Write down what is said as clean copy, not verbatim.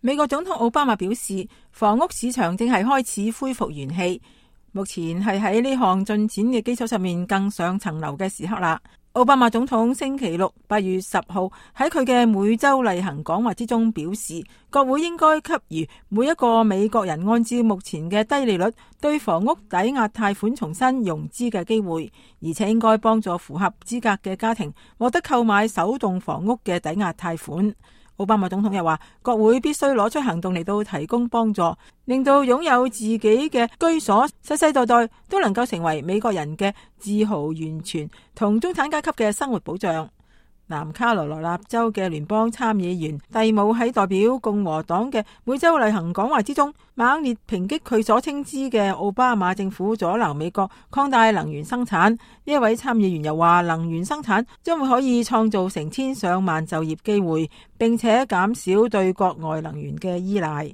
美國總統奧巴馬表示，房屋市場正係開始恢復元氣，目前係喺呢項進展嘅基礎上面更上層樓嘅時刻啦。奧巴馬總統星期六8月10號喺佢嘅每周例行講話之中表示，國會應該給予每一個美國人按照目前嘅低利率對房屋抵押貸款重新融資嘅機會，而且應該幫助符合資格嘅家庭獲得購買首棟房屋嘅抵押貸款。奧巴馬總統又話，國會必須攞出行動嚟到提供幫助，令到擁有自己嘅居所世世代代都能夠成為美國人嘅自豪源泉同中產階級嘅生活保障。南卡羅來納州嘅聯邦參議員蒂姆喺代表共和黨嘅每周例行講話之中，猛烈抨擊佢所稱之嘅奧巴馬政府阻撓美國擴大能源生產。呢一位參議員又話，能源生產將會可以創造成千上萬就業機會，並且減少對國外能源嘅依賴。